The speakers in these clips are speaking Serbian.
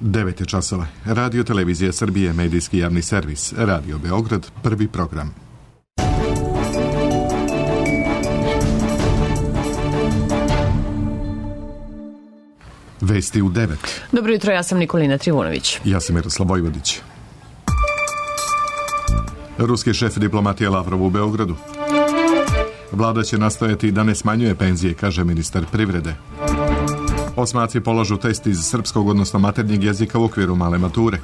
9 časova. Radio Televizija Srbije, medijski javni servis. Radio Beograd, prvi program. Vesti u 9. Dobro jutro, ja sam Nikolina Trivunović. Ja sam Miroslav Vojvodić. Ruski šef diplomatije Lavrov u Beogradu. Vlada će nastojati da ne smanjuje penzije, kaže ministar privrede. Osmaci polažu test iz srpskog, odnosno maternjeg jezika u okviru male mature.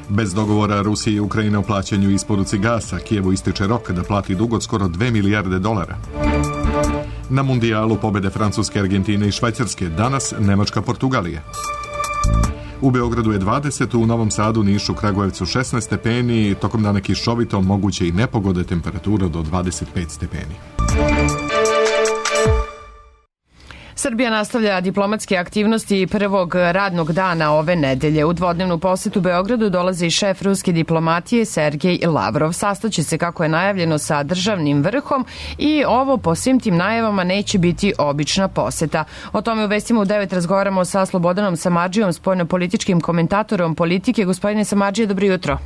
Bez dogovora Rusije i Ukrajine o plaćanju i isporuci gasa, Kijevu ističe rok da plati dug od skoro 2 milijarde dolara. Na mundijalu pobede Francuske, Argentine i Švajcarske, danas Nemačka, Portugalija. U Beogradu je 20, u Novom Sadu, Nišu, Kragujevcu 16 stepeni, tokom dana kišovito, moguće i nepogode, temperatura do 25 stepeni. Srbija nastavlja diplomatske aktivnosti prvog radnog dana ove nedelje. U dvodnevnu posetu Beogradu dolazi šef ruske diplomatije Sergej Lavrov. Sastaće se, kako je najavljeno, sa državnim vrhom i ovo po svim tim najavama neće biti obična poseta. O tome u vestima u 9 razgovaramo sa Slobodanom Samardžijom, spoljnopolitičkim komentatorom Politike. Gospodine Samardžije, dobro jutro.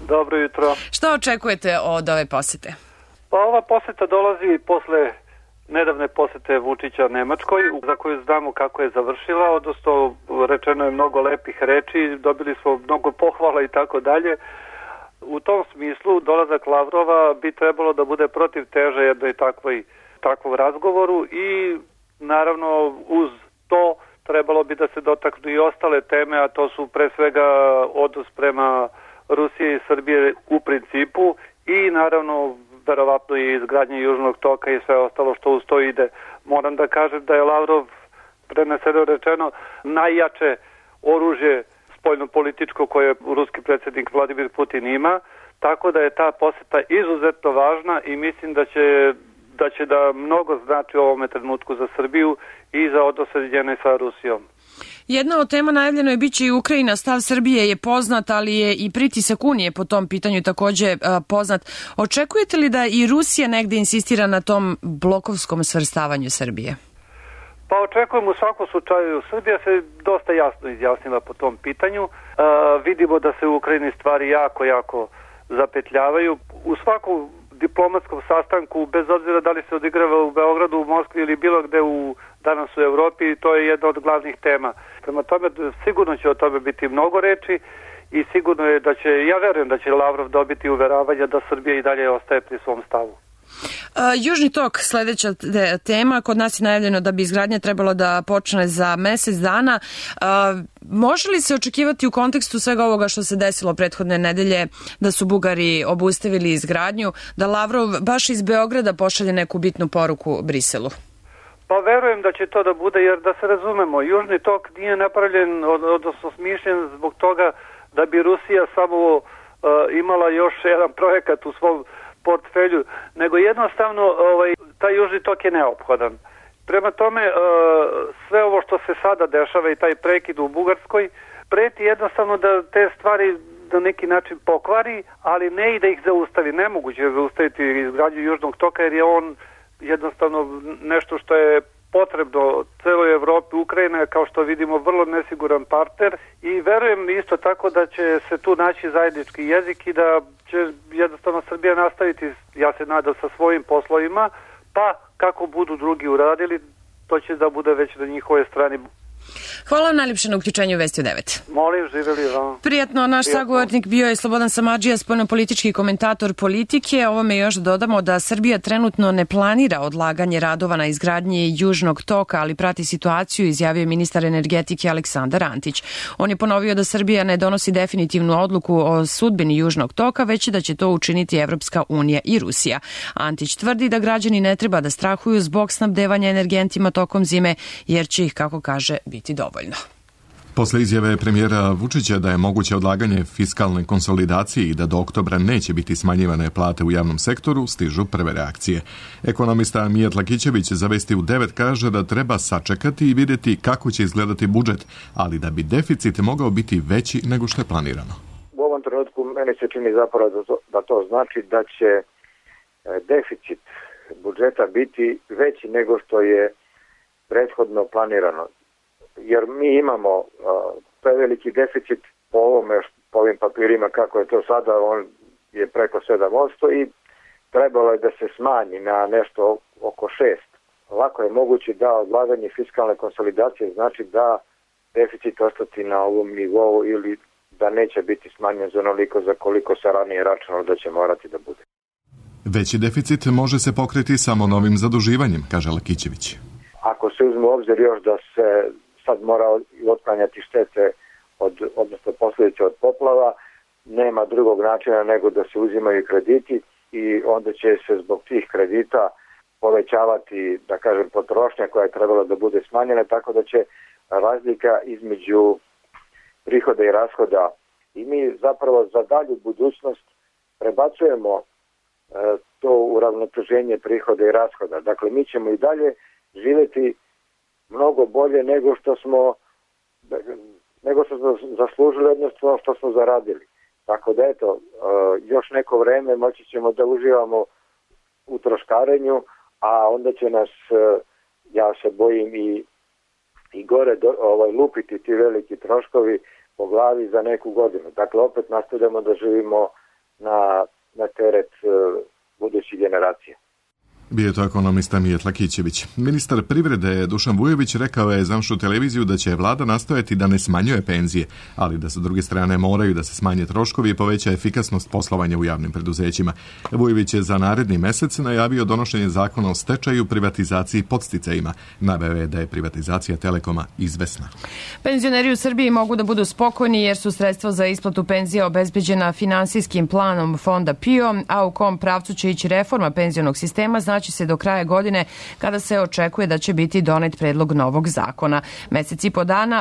Dobro jutro. Šta očekujete od ove posete? Pa ova poseta dolazi posle nedavne posete Vučića Nemačkoj, za koju znamo kako je završila, odnosno rečeno je mnogo lepih reči, dobili smo mnogo pohvala i tako dalje. U tom smislu dolazak Lavrova bi trebalo da bude protiv teže jednoj takvom razgovoru i naravno uz to trebalo bi da se dotaknu i ostale teme, a to su pre svega odnos prema Rusije i Srbije u principu i naravno verovatno i izgradnje Južnog toka i sve ostalo što uz to ide. Moram da kažem da je Lavrov, preneseno rečeno, najjače oružje spoljnopolitičko koje ruski predsjednik Vladimir Putin ima, tako da je ta poseta izuzetno važna i mislim da će da mnogo znači u ovome trenutku za Srbiju i za odnose njene sa Rusijom. Jedna od tema najavljeno je biće i Ukrajina. Stav Srbije je poznat, ali je i pritisak Unije po tom pitanju takođe poznat. Očekujete li da i Rusija negde insistira na tom blokovskom svrstavanju Srbije? Pa očekujem u svakom slučaju. Srbija se dosta jasno izjasnila po tom pitanju. Vidimo da se u Ukrajini stvari jako zapetljavaju. U svakom diplomatskom sastanku, bez obzira da li se odigrava u Beogradu, u Moskvi ili bilo gde danas u Evropi, to je jedna od glavnih tema. Prema tome, sigurno će o tome biti mnogo reči i sigurno je da će, ja verujem da će Lavrov dobiti uveravanja da Srbija i dalje ostaje pri svom stavu. Južni tok, sledeća tema. Kod nas je najavljeno da bi izgradnja trebalo da počne za mesec dana. Može li se očekivati u kontekstu svega ovoga što se desilo prethodne nedelje, da su Bugari obustavili izgradnju, da Lavrov baš iz Beograda pošalje neku bitnu poruku Briselu? Pa verujem da će to da bude, jer da se razumemo, Južni tok nije napravljen, odnosno smišljen zbog toga da bi Rusija samo imala još jedan projekat u svom portfelju, nego jednostavno taj Južni tok je neophodan. Prema tome, sve ovo što se sada dešava i taj prekid u Bugarskoj, preti jednostavno da te stvari na neki način pokvari, ali ne i da ih zaustavi. Nemoguće je zaustaviti izgradnju Južnog toka, jer je on jednostavno nešto što je potrebno celoj Evropi. Ukrajina je, kao što vidimo, vrlo nesiguran partner i verujem isto tako da će se tu naći zajednički jezik i da će jednostavno Srbija nastaviti, ja se nadam, sa svojim poslovima, pa kako budu drugi uradili, to će da bude već na njihovoj strani. Hvala vam najljepše na uključenju Vesti u 9. Molim, živjeli vam. Prijatno, naš sagovornik bio je Slobodan Samardžija, spoljnopolitički komentator Politike. Ovome još dodamo da Srbija trenutno ne planira odlaganje radova na izgradnji Južnog toka, ali prati situaciju, izjavio ministar energetike Aleksandar Antić. On je ponovio da Srbija ne donosi definitivnu odluku o sudbini Južnog toka, već da će to učiniti Evropska unija i Rusija. Antić tvrdi da građani ne treba da strahuju zbog snabdevanja energentima tokom zime, jer će ih, kako kaže, biti dovoljno. Posle izjave premijera Vučića da je moguće odlaganje fiskalne konsolidacije i da do oktobra neće biti smanjivane plate u javnom sektoru, stižu prve reakcije. Ekonomista Mijat Lakićević za Vesti u 9 kaže da treba sačekati i vidjeti kako će izgledati budžet, ali da bi deficit mogao biti veći nego što je planirano. U ovom trenutku meni se čini zapravo da to znači da će deficit budžeta biti veći nego što je prethodno planirano. Jer mi imamo preveliki deficit po ovim papirima kako je to sada, on je preko 7% i trebalo je da se smanji na nešto oko 6%. Ovako je moguće da odlaganje fiskalne konsolidacije znači da deficit ostati na ovom nivou ili da neće biti smanjen za onoliko za koliko se ranije računalo da će morati da bude. Veći deficit može se pokriti samo novim zaduživanjem, kaže Lakićević. Ako se uzme u obzir još da se sad mora otklanjati štete odnosno posljedice od poplava, nema drugog načina nego da se uzimaju krediti i onda će se zbog tih kredita povećavati, da kažem, potrošnja koja je trebala da bude smanjena, tako da će razlika između prihoda i rashoda i mi zapravo za dalju budućnost prebacujemo to uravnoteženje prihoda i rashoda. Dakle, mi ćemo i dalje živjeti mnogo bolje nego što smo zaslužili, odnosno što smo zaradili. Tako da eto, još neko vreme moći ćemo da uživamo u troškarenju, a onda će nas, ja se bojim, i gore lupiti ti veliki troškovi po glavi za neku godinu. Dakle, opet nastavljamo da živimo na teret budućih generacija. Bio je to ekonomista Mijet Lakićević. Ministar privrede Dušan Vujović rekao je za našu televiziju da će vlada nastojati da ne smanjuje penzije, ali da sa druge strane moraju da se smanje troškovi i poveća efikasnost poslovanja u javnim preduzećima. Vujović je za naredni mesec najavio donošenje zakona o stečaju, privatizaciji i podsticajima. Naveo je da je privatizacija Telekoma izvesna. Penzioneri u Srbiji mogu da budu spokojni jer su sredstva za isplatu penzija obezbeđena finansijskim planom fonda PIO, a u kom pravcu će ići reforma penzionog sistema će se do kraja godine, kada se očekuje da će biti donet predlog novog zakona.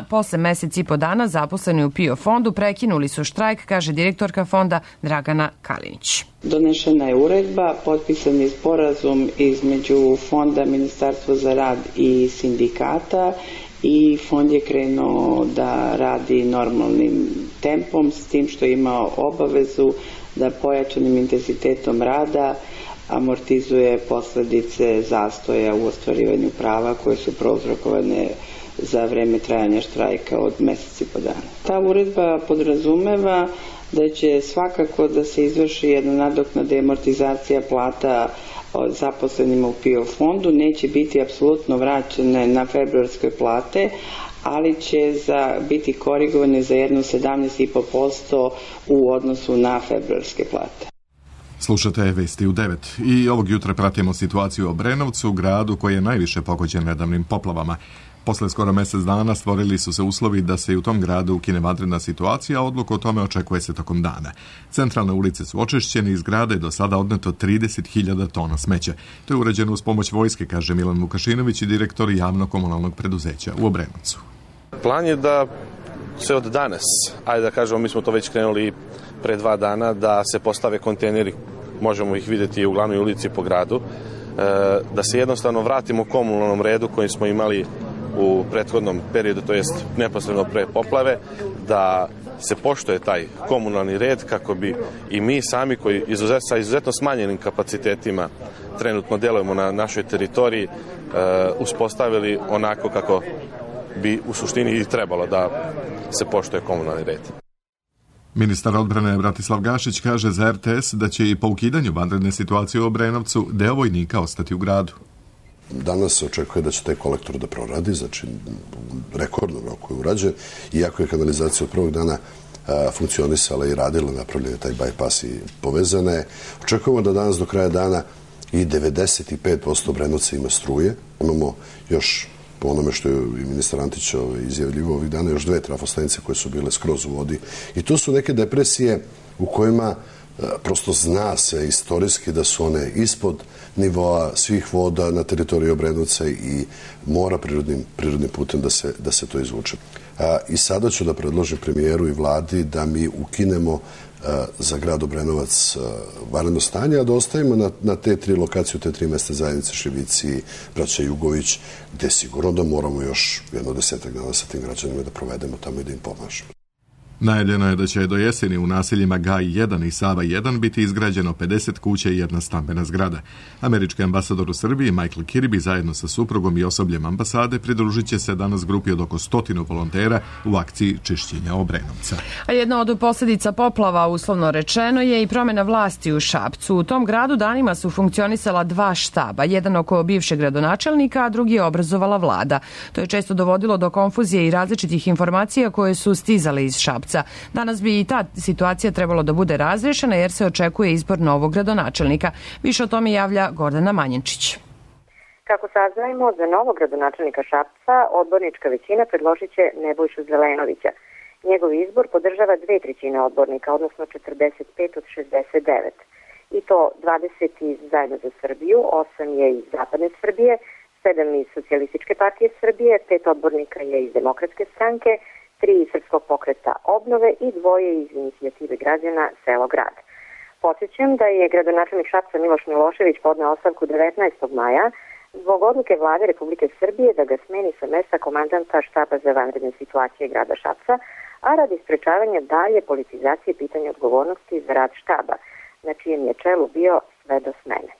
Posle mesec i po dana zaposleni u PIO fondu prekinuli su štrajk, kaže direktorka fonda Dragana Kalinić. Donešena je uredba, potpisan je sporazum između fonda, Ministarstva za rad i sindikata i fond je krenuo da radi normalnim tempom, s tim što je imao obavezu da pojačanim intenzitetom rada amortizuje posledice zastoja u ostvarivanju prava koje su prouzrokovane za vreme trajanja štrajka od meseci po dana. Ta uredba podrazumeva da će svakako da se izvrši jedna nadoknada i amortizacija plata zaposlenima u PIO fondu, neće biti apsolutno vraćene na februarske plate, ali će biti korigovane za jedno 17,5% u odnosu na februarske plate. Slušate Vesti u 9 i ovog jutra pratimo situaciju u Obrenovcu, gradu koji je najviše pogođen nedavnim poplavama. Posle skoro mesec dana stvorili su se uslovi da se i u tom gradu ukine vanredna situacija, a odluku o tome očekuje se tokom dana. Centralne ulice su očišćene, iz grada je do sada odneto 30.000 tona smeća. To je urađeno uz pomoć vojske, kaže Milan Vukašinović i direktor javno-komunalnog preduzeća u Obrenovcu. Plan je da se od danas, ajde da kažemo, mi smo to već krenuli pre 2 dana, da se postave kontejneri, možemo ih vidjeti u glavnoj ulici po gradu, da se jednostavno vratimo komunalnom redu koji smo imali u prethodnom periodu, to jest neposredno pre poplave, da se poštuje taj komunalni red kako bi i mi sami koji sa izuzetno smanjenim kapacitetima trenutno delujemo na našoj teritoriji uspostavili onako kako bi u suštini i trebalo da se poštuje komunalni red. Ministar odbrane Bratislav Gašić kaže za RTS da će i po ukidanju vanredne situacije u Obrenovcu deo vojnika ostati u gradu. Danas se očekuje da će taj kolektor da proradi, znači rekordnom roku je urađen, iako je kanalizacija od prvog dana funkcionisala i radila, napravljen je taj bypass i povezana je. Očekujemo da danas do kraja dana i 95% Obrenovca ima struje. Imamo još, po onome što je i ministar Antić izjavljivo ovih dana, još 2 trafostanice koje su bile skroz u vodi. I to su neke depresije u kojima prosto zna se istorijski da su one ispod nivoa svih voda na teritoriji Obrenovca i mora prirodnim putem da se to izvuče. I sada ću da predložim premijeru i vladi da mi ukinemo za grad Obrenovac vanredno stanje, a da ostavimo na te 3 lokacije, te 3 mesta zajednice, Šivici, Braća Jugović, gde sigurno da moramo još jedno 10 dana sa tim građanima da provedemo tamo i da im pomažemo. Najavljeno je da će do jeseni u naseljima Gaj 1 i Sava 1 biti izgrađeno 50 kuća i jedna stambena zgrada. Američki ambasador u Srbiji Michael Kirby zajedno sa suprugom i osobljem ambasade pridružit će se danas grupi od oko 100 volontera u akciji čišćenja Obrenovca. A jedna od posljedica poplava, uslovno rečeno, je i promjena vlasti u Šapcu. U tom gradu danima su funkcionisala dva štaba, jedan oko bivšeg gradonačelnika, a drugi je obrazovala vlada. To je često dovodilo do konfuzije i različitih informacija koje su stizale iz Šapca. Danas bi i ta situacija trebalo da bude razrešena jer se očekuje izbor novog gradonačelnika. Više o tome javlja Gordana Manjenčić. Kako saznajemo, za novog gradonačelnika Šapca odbornička većina predložit će Nebojšu Zelenovića. Njegov izbor podržava 2/3 odbornika, odnosno 45 od 69. I to 20 iz Zajedno za Srbiju, 8 je iz Zapadne Srbije, 7 iz Socijalističke partije Srbije, 5 odbornika je iz Demokratske stranke, 3 iz Srpskog pokreta Obnove i 2 iz Inicijative građana Selo grad. Podsjećam da je gradonačelnik Šapca Miloš Milošević podneo ostavku 19. maja zbog odluke vlade Republike Srbije da ga smeni sa mesta komandanta štaba za vanredne situacije grada Šapca, a radi sprečavanja dalje politizacije pitanja odgovornosti za rad štaba, na čijem je čelu bio sve do smene.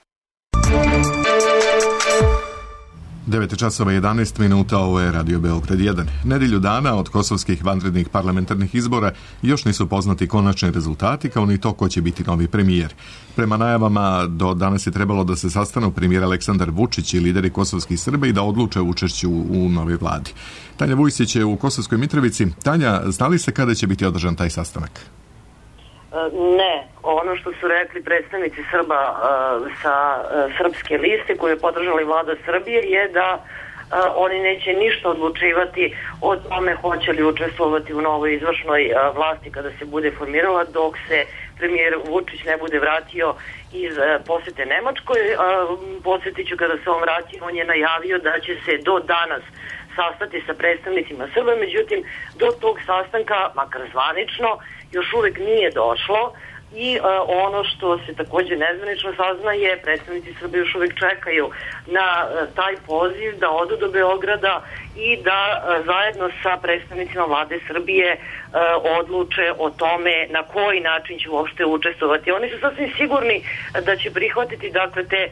9:11, ovo je Radio Beograd 1. Nedelju dana od kosovskih vanrednih parlamentarnih izbora još nisu poznati konačni rezultati, kao ni to ko će biti novi premijer. Prema najavama, do danas je trebalo da se sastanu premijer Aleksandar Vučić i lideri kosovskih Srba i da odluče o učešću u novoj vladi. Tanja Vujsić je u Kosovskoj Mitrovici. Tanja, znali se kada će biti održan taj sastanak? Ne, ono što su rekli predstavnici Srba sa srpske liste koje je podržala i vlada Srbije je da oni neće ništa odlučivati o tome hoće li učestvovati u novoj izvršnoj vlasti kada se bude formirala, dok se premijer Vučić ne bude vratio iz posete Nemačkoj. Podsjetit ću, kada se on vrati, on je najavio da će se do danas sastati sa predstavnicima Srba, međutim do tog sastanka, makar zvanično, još uvek nije došlo i ono što se također nezvanično saznaje, predstavnici Srbije još uvek čekaju na taj poziv da odu do Beograda i da zajedno sa predstavnicima vlade Srbije odluče o tome na koji način će uopšte učestvovati. Oni su sasvim sigurni da će prihvatiti dakle te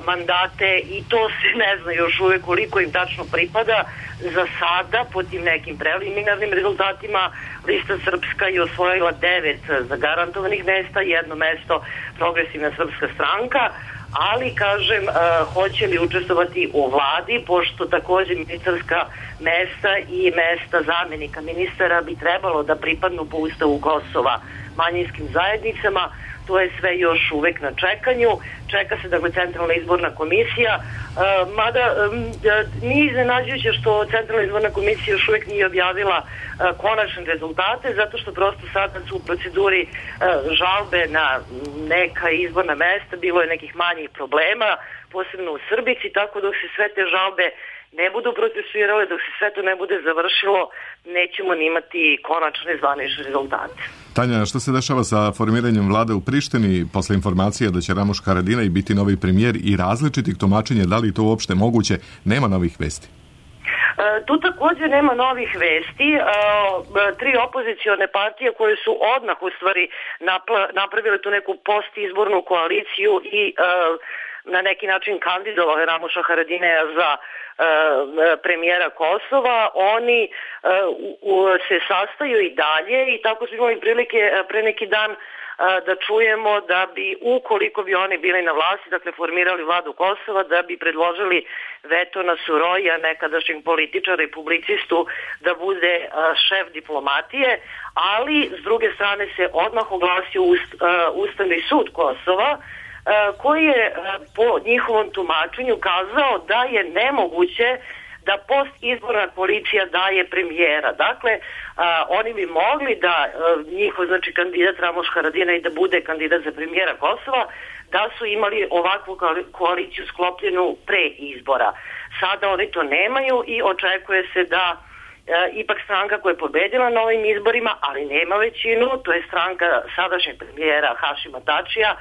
mandate i to se ne zna još uvek koliko im tačno pripada. Za sada, po tim nekim preliminarnim rezultatima, Lista Srpska je osvojila 9 zagarantovanih mesta, 1 mesto Progresivna srpska stranka, ali, kažem, hoće li učestvovati u vladi, pošto također ministarska mesta i mesta zamenika ministara bi trebalo da pripadnu po Ustavu Kosova manjinskim zajednicama. To je sve još uvek na čekanju. Čeka se, dakle, Centralna izborna komisija, mada nije iznenađujuće što Centralna izborna komisija još uvek nije objavila konačne rezultate, zato što prosto sada su u proceduri žalbe na neka izborna mesta, bilo je nekih manjih problema, posebno u Srbici, tako dok se sve te žalbe ne budu procesuirale, dok se sve to ne bude završilo, nećemo ni imati konačne zvanične rezultate. Tanja, što se dešava sa formiranjem vlade u Prištini posle informacija da će Ramuš Haradinaj biti novi premijer i različitih tumačenja, da li je to uopšte moguće, nema novih vesti? Tu također nema novih vesti. 3 opozicione partije koje su odmah u stvari napravile tu neku postizbornu koaliciju i na neki način kandidovali Ramuša Haradinaja za premijera Kosova, oni se sastaju i dalje i tako smo imali prilike pre neki dan da čujemo da bi, ukoliko bi oni bili na vlasti, dakle formirali vladu Kosova, da bi predložili veto na Suroja, nekadašnjeg političara i publicistu, da bude šef diplomatije, ali s druge strane se odmah oglasio Ustavni sud Kosova, koji je po njihovom tumačenju kazao da je nemoguće da postizborna koalicija daje premijera. Dakle, oni bi mogli da njihov, znači, kandidat Ramuš Haradinaj da bude kandidat za premijera Kosova, da su imali ovakvu koaliciju sklopljenu pre izbora. Sada oni to nemaju i očekuje se da ipak stranka koja je pobedila na ovim izborima, ali nema većinu, to je stranka sadašnjeg premijera Hašima Tačija,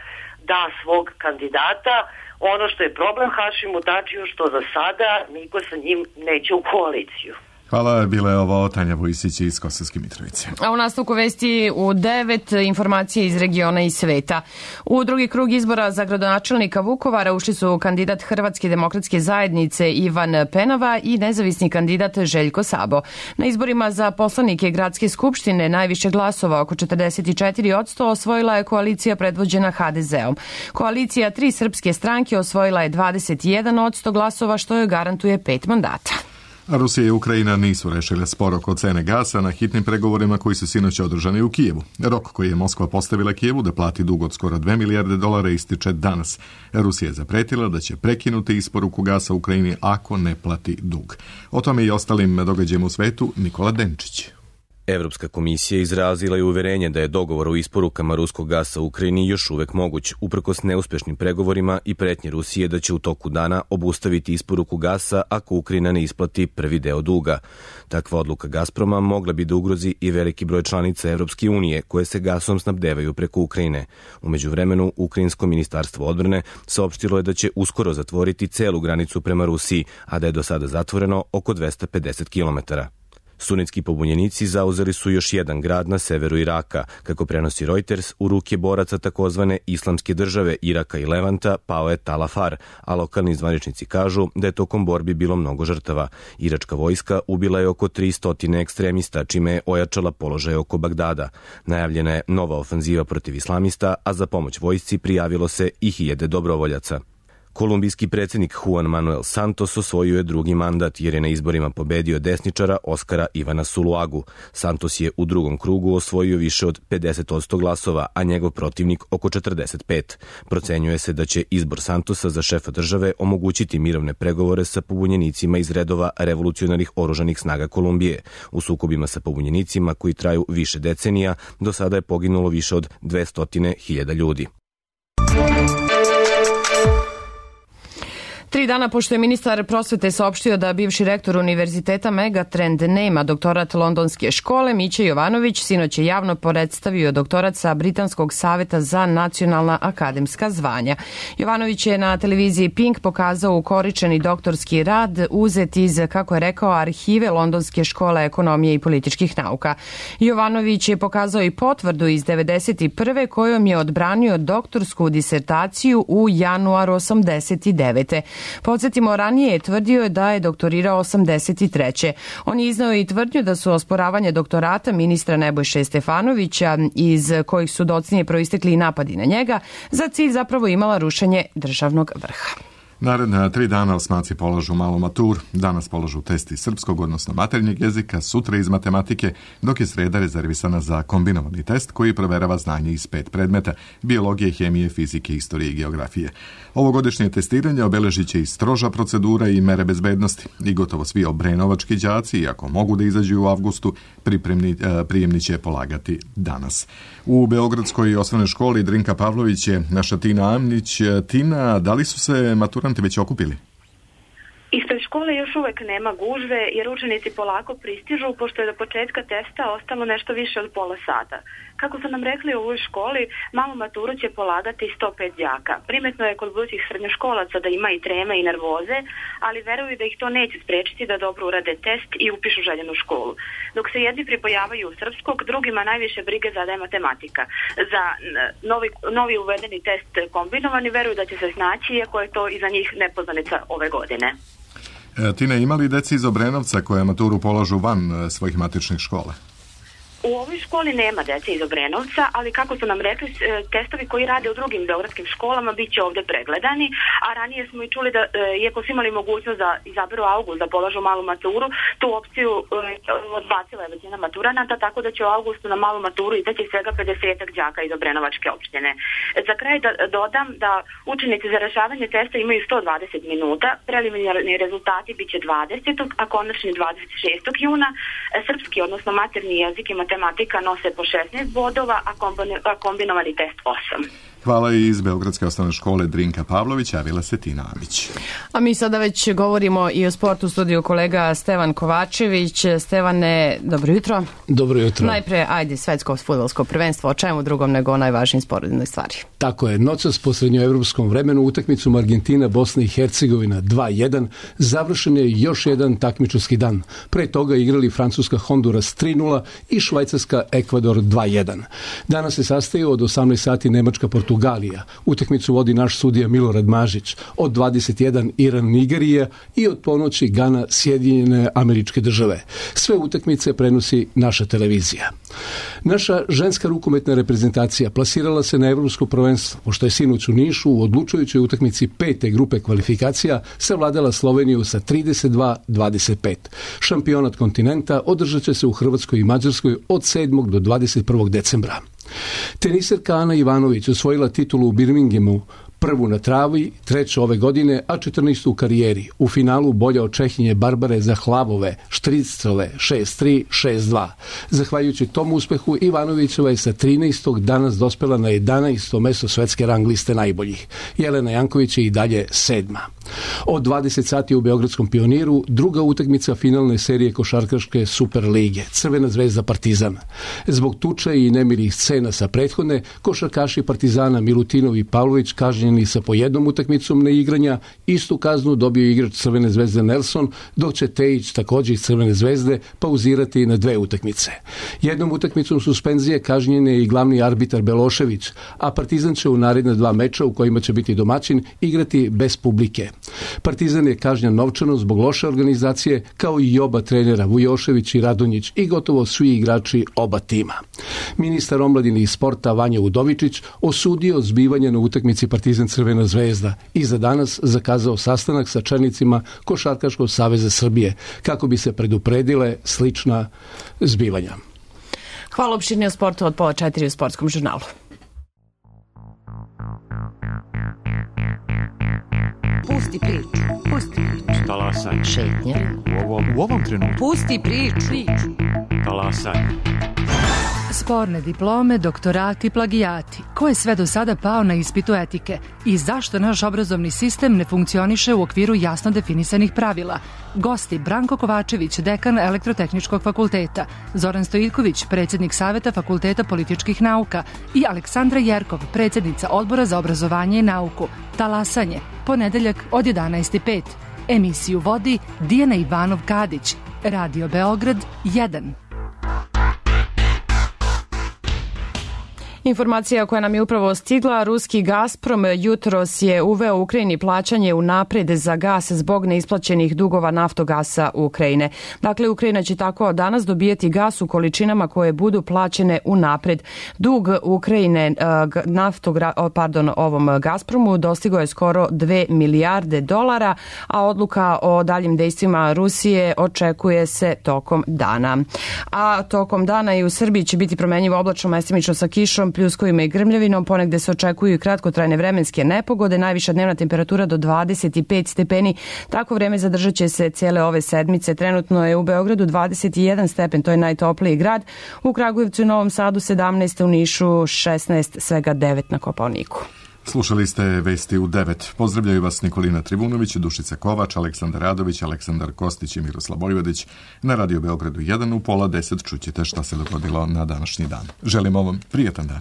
da svog kandidata. Ono što je problem Hašimu Tačiju, što za sada niko sa njim neće u koaliciju. Hvala, bila je ovo Tanja Vojsić iz Kosovske Mitrovice. A u nastavku vesti u 9 informacije iz regiona i sveta. U drugi krug izbora za gradonačelnika Vukovara ušli su kandidat Hrvatske demokratske zajednice Ivan Penava i nezavisni kandidat Željko Sabo. Na izborima za poslanike Gradske skupštine najviše glasova, oko 44%, osvojila je koalicija predvođena HDZ-om. Koalicija Tri srpske stranke osvojila je 21% glasova, što joj garantuje 5 mandata. Rusija i Ukrajina nisu rešile spor oko cene gasa na hitnim pregovorima koji su sinoć održani u Kijevu. Rok koji je Moskva postavila Kijevu da plati dug od skoro $2 milijarde ističe danas. Rusija je zapretila da će prekinuti isporuku gasa Ukrajini ako ne plati dug. O tome i ostalim događajima u svetu Nikola Denčić. Evropska komisija izrazila je uverenje da je dogovor o isporukama ruskog gasa u Ukrajini još uvek moguć, uprkos neuspešnim pregovorima i pretnje Rusije da će u toku dana obustaviti isporuku gasa ako Ukrajina ne isplati prvi deo duga. Takva odluka Gazproma mogla bi da ugrozi i veliki broj članica Evropske unije koje se gasom snabdevaju preko Ukrajine. U međuvremenu, Ukrajinsko ministarstvo odbrane saopštilo je da će uskoro zatvoriti celu granicu prema Rusiji, a da je do sada zatvoreno oko 250 kilometara. Sunetski pobunjenici zauzeli su još jedan grad na severu Iraka. Kako prenosi Reuters, u ruke boraca takozvane Islamske države Iraka i Levanta pao je Tal Afar, a lokalni zvaničnici kažu da je tokom borbi bilo mnogo žrtava. Iračka vojska ubila je oko 300 ekstremista, čime je ojačala položaj oko Bagdada. Najavljena je nova ofanziva protiv islamista, a za pomoć vojsci prijavilo se i 1000 dobrovoljaca. Kolumbijski predsjednik Juan Manuel Santos osvojio je drugi mandat jer je na izborima pobedio desničara Oskara Ivana Zuluagu. Santos je u drugom krugu osvojio više od 50% glasova, a njegov protivnik oko 45%. Procenjuje se da će izbor Santosa za šefa države omogućiti mirovne pregovore sa pobunjenicima iz redova revolucionarnih oružanih snaga Kolumbije. U sukobima sa pobunjenicima koji traju više decenija, do sada je poginulo više od 200.000 ljudi. 3 dana pošto je ministar prosvete saopštio da bivši rektor univerziteta Megatrend nema doktorat londonske škole, Mića Jovanović sinoć je javno predstavio doktorat sa Britanskog saveta za nacionalna akademska zvanja. Jovanović je na televiziji Pink pokazao ukoričeni doktorski rad uzet iz, kako je rekao, arhive Londonske škole ekonomije i političkih nauka. Jovanović je pokazao i potvrdu iz 1991. kojom je odbranio doktorsku disertaciju u januaru 1989. Podsjetimo, ranije je tvrdio da je doktorirao 1983. On je iznao i tvrdnju da su osporavanje doktorata ministra Nebojše Stefanovića, iz kojih su docnije proistekli i napadi na njega, za cilj zapravo imala rušenje državnog vrha. Naredna 3 dana osmaci polažu malu maturu. Danas polažu test iz srpskog, odnosno maternjeg jezika, sutra iz matematike, dok je sreda rezervisana za kombinovani test koji proverava znanje iz 5 predmeta: biologije, hemije, fizike, istorije i geografije. Ovogodišnje testiranje obeležit će i stroža procedura i mere bezbednosti i gotovo svi obrenovački đaci, iako mogu da izađu u avgustu, prijemni će polagati danas. U Beogradskoj osnovnoj školi Drinka Pavlović je naša Tina Amnić. Tina, da li su se maturanti već okupili? Ispred škole još uvek nema gužve jer učenici polako pristižu, pošto je do početka testa ostalo nešto više od pola sata. Kako su nam rekli u ovoj školi, malu maturu će polagati 105 đaka. Primetno je kod budućih srednjoškolaca da ima i treme i nervoze, ali veruju da ih to neće sprečiti da dobro urade test i upišu željenu školu. Dok se jedni pripojavaju u srpskog, drugima najviše brige zadaje matematika. Za novi uvedeni test kombinovani veruju da će se snaći, iako je to i za njih nepoznanica ove godine. Tina, ima li deci iz Obrenovca koje maturu polažu van svojih matičnih škola? U ovoj školi nema dece iz Obrenovca, ali kako su nam rekli, testovi koji rade u drugim beogradskim školama bit će ovde pregledani, a ranije smo i čuli da, iako su imali mogućnost da izaberu avgust, da polažu malu maturu, tu opciju odbacila je većina maturanata, tako da će u avgustu na malu maturu izaći svega 50 đaka iz Obrenovačke opštine. Za kraj da dodam da učenici za rešavanje testa imaju 120 minuta, preliminarni rezultati bit će 20. a konačni 26. juna. Srpski, odnosno materni jezik i matematika nose po 16 bodova, a kombinovani test 8. Hvala i iz Beogradske osnovne škole Drinka Pavlović, javila se Tina Amić. A mi sada već govorimo i o sportu, studiju kolega Stevan Kovačević. Stevane, dobro jutro. Dobro jutro. Najpre, ajde, svetsko fudbalsko prvenstvo, o čemu drugom nego o najvažnijim sporednoj stvari. Tako je, noćas po srednjoevropskom vremenu utakmicom Argentina, Bosna i Hercegovina 2-1, završen je još jedan takmičarski dan. Pre toga igrali Francuska Honduras 3-0 i Švajcarska Ekvador 2-1. Danas se sastaju od 18 sati Nemačka Portugalija. Utakmicu vodi naš sudija Milorad Mažić. Od 21 Iran Nigerija i od ponoći Gana Sjedinjene Američke Države. Sve utakmice prenosi naša televizija. Naša ženska rukometna reprezentacija plasirala se na evropsko prvenstvo, pošto je sinoć u Nišu u odlučujućoj utakmici 5. grupe kvalifikacija savladala Sloveniju sa 32-25. Šampionat kontinenta održat će se u Hrvatskoj i Mađarskoj od 7. do 21. decembra. Teniserka Ana Ivanović osvojila titulu u Birminghamu, prvu na travi, treću ove godine, a 14. u karijeri. U finalu bolja od Čehinje Barbare Zahlavove, Štricele 6-3, 6-2. Zahvaljujući tom uspehu, Ivanovićeva je sa 13. danas dospela na 11. mesto svetske rang liste najboljih. Jelena Janković je i dalje 7. Od 20 sati u Beogradskom Pioniru druga utakmica finalne serije košarkaške Super lige, Crvena zvezda Partizan. Zbog tuče i nemirih scena sa prethodne, košarkaši Partizana Milutinov i Pavlović kažnjeni sa po jednom utakmicom neigranja, istu kaznu dobio igrač Crvene zvezde Nelson, dok će Tejić također iz Crvene zvezde pauzirati na 2 utakmice. Jednom utakmicom suspenzije kažnjen je i glavni arbitar Belošević, a Partizan će u naredna 2 meča u kojima će biti domaćin igrati bez publike. Partizan je kažnjen novčano zbog loše organizacije, kao i oba trenera Vujošević i Radonjić i gotovo svi igrači oba tima. Ministar omladine i sporta Vanja Udovičić osudio zbivanje na utakmici Partizan Crvena zvezda i za danas zakazao sastanak sa čelnicima Košarkaškog saveza Srbije kako bi se predupredile slična zbivanja. Hvala, opširnije o sportu od 3:30 u Sportskom žurnalu. Pusti priču. Pusti priču. Talasaj. Šetnja. U ovom trenutku. Pusti priču. Talasaj. Sporne diplome, doktorati, plagijati. Ko je sve do sada pao na ispitu etike? I zašto naš obrazovni sistem ne funkcioniše u okviru jasno definisanih pravila? Gosti Branko Kovačević, dekan Elektrotehničkog fakulteta, Zoran Stojiković, predsjednik Saveta Fakulteta političkih nauka i Aleksandra Jerkov, predsjednica Odbora za obrazovanje i nauku. Talasanje, ponedeljak od 11:05. Emisiju vodi Dijana Ivanov-Kadić. Radio Beograd 1. Informacija koja nam je upravo stigla, ruski Gazprom jutros je uveo Ukrajini plaćanje unapred za gas zbog neisplaćenih dugova Naftogasa Ukrajine. Dakle, Ukrajina će tako danas dobijeti gas u količinama koje budu plaćene unapred. Dug Ukrajine ovom Gazpromu dostigao je skoro 2 milijarde dolara, a odluka o daljim dejstvima Rusije očekuje se tokom dana. A tokom dana i u Srbiji će biti promenjivo oblačno, mestimično sa kišom, pljuskovima i grmljavinom, ponegde se očekuju i kratkotrajne vremenske nepogode, najviša dnevna temperatura do 25 stepeni. Tako vreme zadržat će se cijele ove sedmice. Trenutno je u Beogradu 21 stepen, to je najtopliji grad. U Kragujevcu i Novom Sadu 17, u Nišu 16, svega 9 na Kopaoniku. Slušali ste Vesti u 9. Pozdravljaju vas Nikolina Trivunović, Dušica Kovač, Aleksandar Radović, Aleksandar Kostić i Miroslav Vojvodić. Na Radio Beogradu 1 u 9:30 čućete šta se dogodilo na današnji dan. Želimo vam prijetan dan.